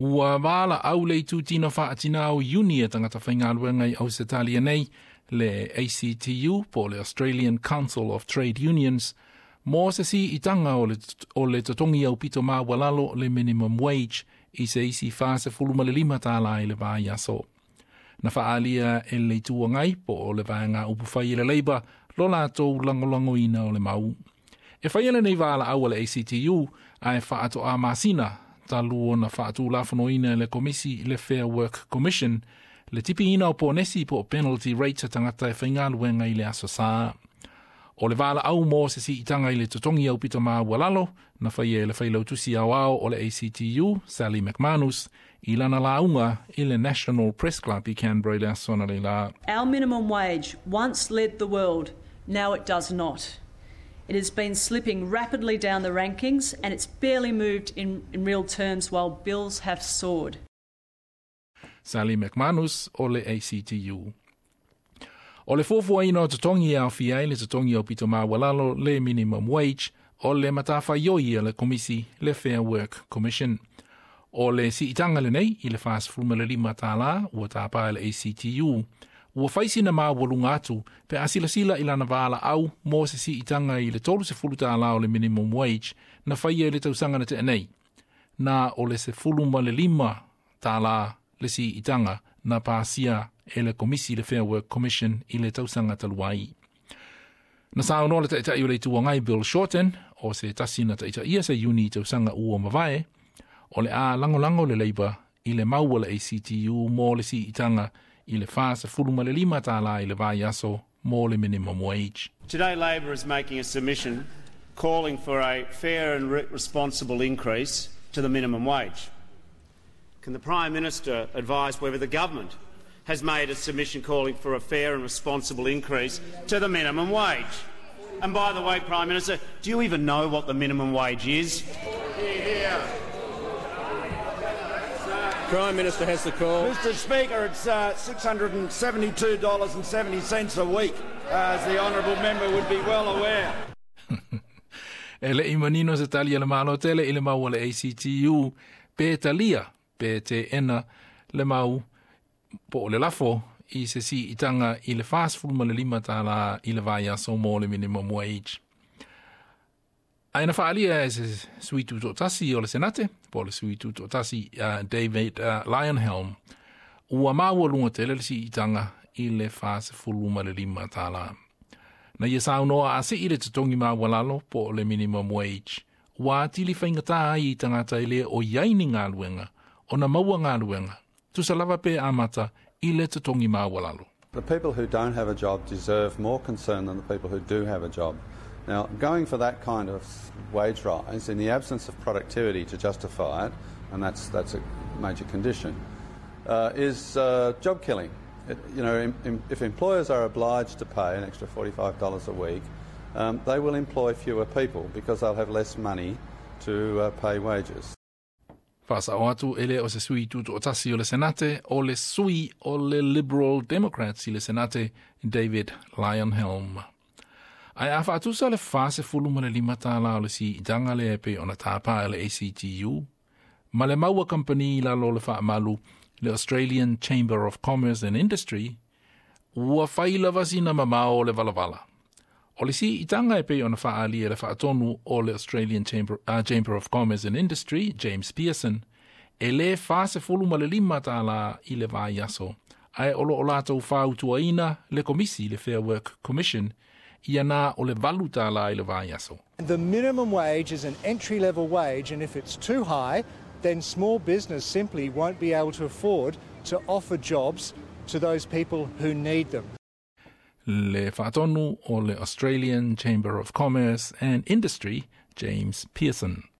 Ua valaau le itutino faatinā o iuni a tagata faigaluega i Ausetalia nei, le ACTU po o le Australian Council of Trade Unions, mo se siitaga o le totogi aupito maualalo, le minimum wage, i se isi $45 i le vaiaso. Na faaalia e le Itu Agai po o le vaega upufai i le Labour lo latou lagolagoina o le mau. E faia lenei valaau a le ACTU ae faatoa masina talu ona faatulafonoina e le Komisi, le Fair Work Commission, le tipiina o ponesi po o penalty rate a tagata e faigaluega i le aso Sa. O le valaau mo se siitaga i le totogi aupito maualalo na faia e le failautusi aoao o le ACTU, Sally McManus, i lana lauga i le National Press Club i Canberra i le aso analeila. Our minimum wage once led the world, now it does not. It has been slipping rapidly down the rankings and it's barely moved in real terms while bills have soared. Sally McManus o le ACTU. O le fuafuaina o totogi e aofia ai le totogi aupito maualalo, le minimum wage, o le matafaioi a le Komisi, le Fair Work Commission. O le siitaga lenei i le $45 ua tapā e le ACTU, ua fai sina maualuga atu pe a silasila i lana valaau mo se siitaga i le $30 o le minimum wage na faia i le tausaga na tea nei. Na o le $15 le siitaga na pasia e le Komisi, le Fair Work Commission, i le tausaga talu ai. Na saunoa le Taitai o le Itu Agai, Bill Shorten, o se tasi na taitaia se iuni i tausaga ua mavae, o le a lagolago le Labour i le mau a le ACTU mo le siitaga i le $45 i le vaiaso mo le minimum wage. Today, Labor is making a submission calling for a fair and responsible increase to the minimum wage. Can the Prime Minister advise whether the government has made a submission calling for a fair and responsible increase to the minimum wage? And by the way, Prime Minister, do you even know what the minimum wage is? Prime Minister has the call. Mr Speaker, it's $672.70 a week, as the honourable member would be well aware. E le'i manino se tali a le Malo tele i le mau a le ACTU pe talia pe teena le mau po o le lafo i se siitaga i le $45 i le vaiaso mo le minimum wage. Ae na faaalia e se sui tutoatasi o le Senate, po o le sui tutoatasi David Leyonhjelm, ua maualuga tele le siitaga i le $45. Na ia saunoa a sii le totogi maualalo po o le minimum wage, ua atili faigata ai i tagata e le o i ai ni galuega ona maua galuega, tusa lava pe amata i le totogi maualalo. The people who don't have a job deserve more concern than the people who do have a job. Now, going for that kind of wage rise in the absence of productivity to justify it, and that's a major condition, is job killing. It, you know, im, if employers are obliged to pay an extra $45 a week, they will employ fewer people because they'll have less money to pay wages. Faasao atu, e le o se sui tutoatasi o le Senate, o le sui o le Liberal Democrats i le Senate, David Leyonhjelm. Ae a faatusa le $45 o le siitaga lea e pei ona tapā e le ACTU, ma le mau a kampani i lalo o le faamalu, le Australian Chamber of Commerce and Industry, ua fai lava sina mamao o le valavala. O le siitaga e pei ona faaalia e le faatonu o le Australian Chamber of Commerce and Industry, James Pearson, e le $45 i le vaiaso, ae o loo latou fautuaina le Komisi, le Fair Work Commission, ia na o le $8 i le vaiaso. The minimum wage is an entry level wage, and if it's too high, then small business simply won't be able to afford to offer jobs to those people who need them. Le faatonu o le Australian Chamber of Commerce and Industry, James Pearson.